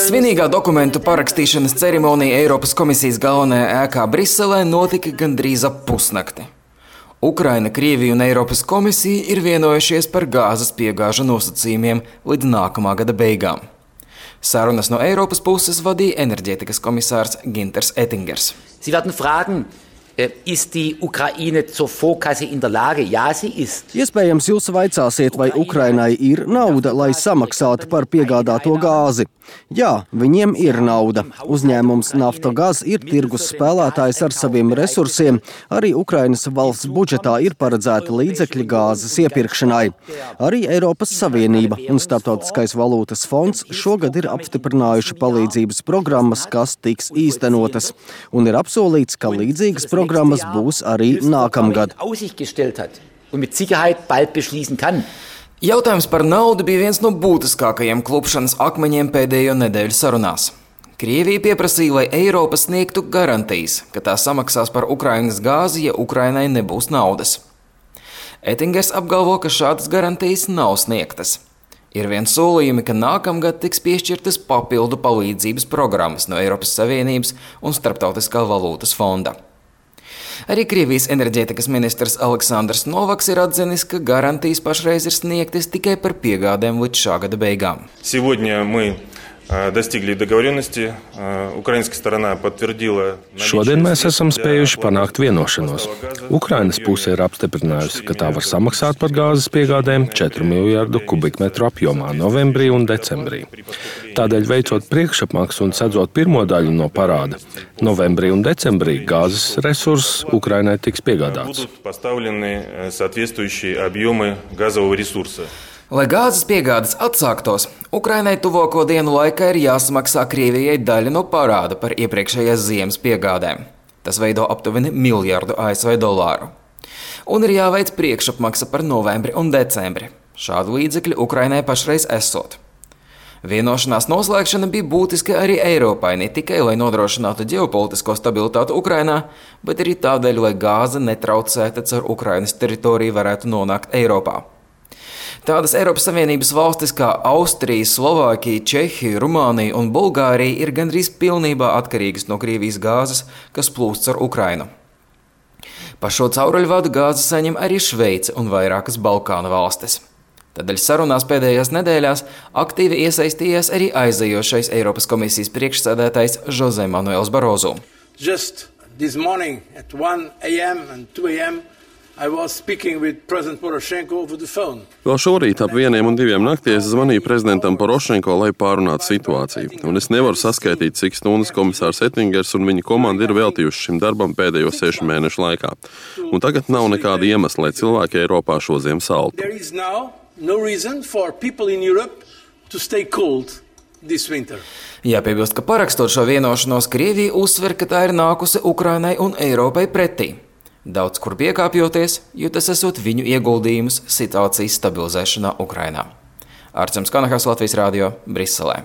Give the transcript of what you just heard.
Svinīgā dokumentu parakstīšanas ceremonija Eiropas komisijas galvenajā ēkā Briselē notika gandrīz ap pusnakti. Ukraina, Krievija un Eiropas komisija ir vienojušies par gāzes piegāžu nosacījumiem līdz nākamā gada beigām. Sarunas no Eiropas puses vadīja enerģētikas komisārs Günters Oettingers. Sie werden fragen, ist die Ukraine zur Vorkasse in der Lage? Ja, sie ist. Iespējams, jūs vaicāsiet, vai Ukrainai ir nauda, lai samaksātu par piegādāto gāzi. Jā, viņiem ir nauda. Uzņēmums Naftogaz ir tirgus spēlētājs ar saviem resursiem. Arī Ukrainas valsts budžetā ir paredzēti līdzekļi gāzes iepirkšanai. Arī Eiropas Savienība un Starptautiskais valūtas fonds šogad ir apstiprinājuši palīdzības programmas, kas tiks īstenotas. Un ir apsolīts, ka līdzīgas programmas būs arī nākamgad. Jautājums par naudu bija viens no būtiskākajiem klupšanas akmeņiem pēdējo nedēļu sarunās. Krievija pieprasīja, lai Eiropa sniegtu garantijas, ka tā samaksās par Ukrainas gāzi, ja Ukrainai nebūs naudas. Oettingers apgalvo, ka šādas garantijas nav sniegtas. Ir vien solījumi, ka nākamgad tiks piešķirtas papildu palīdzības programmas no Eiropas Savienības un Starptautiskā valūtas fonda. Arī Krievijas enerģētikas ministrs Aleksandrs Novaks ir atzinis, ka garantijas pašreiz ir sniegtas tikai par piegādēm līdz šā gada beigām. Šodien mēs esam spējuši panākt vienošanos. Ukrainas puse ir apstiprinājusi, ka tā var samaksāt par gāzes piegādēm 4 miljardu kubikmetru apjomā novembrī un decembrī. Tādēļ veicot priekšapmaksu un sedzot pirmo daļu no parāda, novembrī un decembrī gāzes resurss Ukrainai tiks piegādāts. Lai gāzes piegādes atsāktos, Ukrainai tuvāko dienu laikā ir jāsamaksā Krievijai daļa no parāda par iepriekšējās ziemas piegādēm. Tas veido aptuveni miljardu ASV dolāru. Un ir jāveic priekšapmaksa par novembri un decembri. Šādu līdzekļu Ukrainai pašreiz esot. Vienošanās noslēgšana bija būtiska arī Eiropai, ne tikai lai nodrošinātu ģeopolitisko stabilitāti Ukrainā, bet arī tādēļ, lai gāze netraucēta caur Ukrainas teritoriju varētu nonākt Eiropā. Tādas Eiropas Savienības valstis kā Austrija, Slovākija, Čehija, Rumānija un Bulgārija ir gandrīz pilnībā atkarīgas no Krievijas gāzes, kas plūst caur Ukrainu. Pa šo cauruļvadu gāzi saņem arī Šveice un vairākas Balkānu valstis. Tādēļ sarunās pēdējās nedēļās aktīvi iesaistījās arī aizejošais Eiropas komisijas priekšsēdētājs José Manuels Barroso. Just this morning at 1 a.m. and 2 a.m. I was speaking with President Poroshenko over the phone. Vēl šorīt ap 1 un 2 naktī es zvanīju prezidentam Porošenko, lai pārunātu situāciju. Un es nevaru saskaitīt, cik stundas komisārs Oettingers un viņa komanda ir veltījuši šim darbam pēdējo 6 mēnešu laikā. Un tagad nav nekāda iemesla, lai cilvēki Eiropā šodien saltu. There is now no reason for people in Europe to stay cold this winter. Jāpiebilst, ka parakstot šo vienošanos, Krievija uzsver, ka tā ir nākusi Ukrainai un Eiropai pretī. Daudz kur piekāpjoties, jo tas esot viņu ieguldījumus situācijas stabilizēšanā Ukrainā. Arcems Kanahas, Latvijas radio, Briselē.